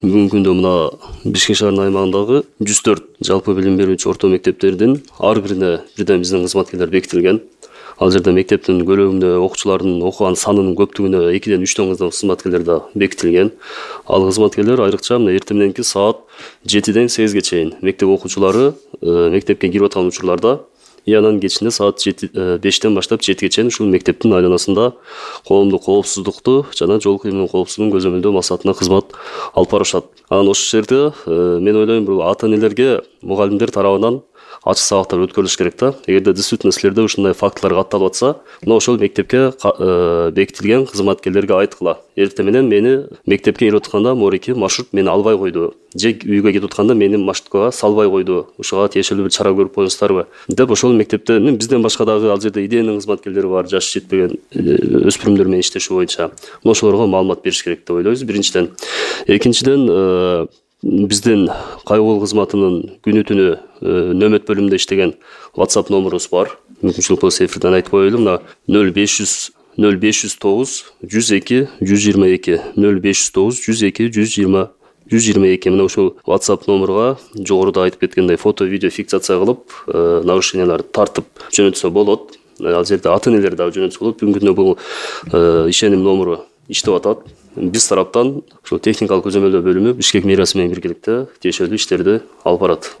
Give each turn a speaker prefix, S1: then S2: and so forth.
S1: Бүгүнкү күндө мына Бишкек шаарынын аймагындагы 104 жалпы билим берүүчү орто мектептердин ар бирине бирден биздин кызматкерлер бекитилген. Ал жерде мектептин көлөмүнө, окуучулардын окуган санынын көптүгүнө 2-ден 3 кызматкерлер да бекитилген. Ал кызматкерлер айрыкча мына эртең мененки саат 7-ден 8-ге чейин мектеп окуучулары мектепке кирип аткан учурларда анан кечинде саат 5-тен баштап 7-ге чейин ушул мектептин айланасында коомдук коопсуздукту жана жол кыймылынын коопсуздугун көзөмөлдөө максатында кызмат алып барышат. Анан ошол жерде мен ойлойм, бул ата-энелерге мугалимдер тарабынан ачык сабактар өткөрүлүш керек да. Эгерде действительно силерде ушундай фактылар катталып атса, мына ошол мектепке бекитилген кызматкерлерге айткыла. Эртең менен мени мектепке кирип атканда морики маршрут мени албай койду. Же үйгө кетип атканда мени маршруткага салбай койду. Ушуга тиешелүү бир чара көрүп коюңуздарбы деп ошол мектепте бизден башка дагы ал жерде идеянын кызматкерлери бар, жашы жетпеген өспүрүмдөр менен иштеши боюнча. Мына ошолорго маалымат бериш керек деп ойлойбуз биринчиден. Экинчиден, биздин кайгуу кызматынын күнү түнү нөмөт бөлүмүндө иштеген WhatsApp номерубуз бар. Мүмкүнчүлүк болсо эфирден айтып коелу. Мына 0509 102 122 0509 102 122. Мына ушул WhatsApp номерга жогоруда айтып кеткендей фото, видео фиксация кылып, нарушенияларды тартып жөнөтсө болот. Ал жерде ата-энелер дагы жөнөтсө болот. Бүгүнкү күндө бул ишеним номеру иштеп атат. Биз тараптан ушул техникалык көзөмөлдөө бөлүмү Бишкек мэриясы менен биргеликте тиешелүү иштерди алып барат.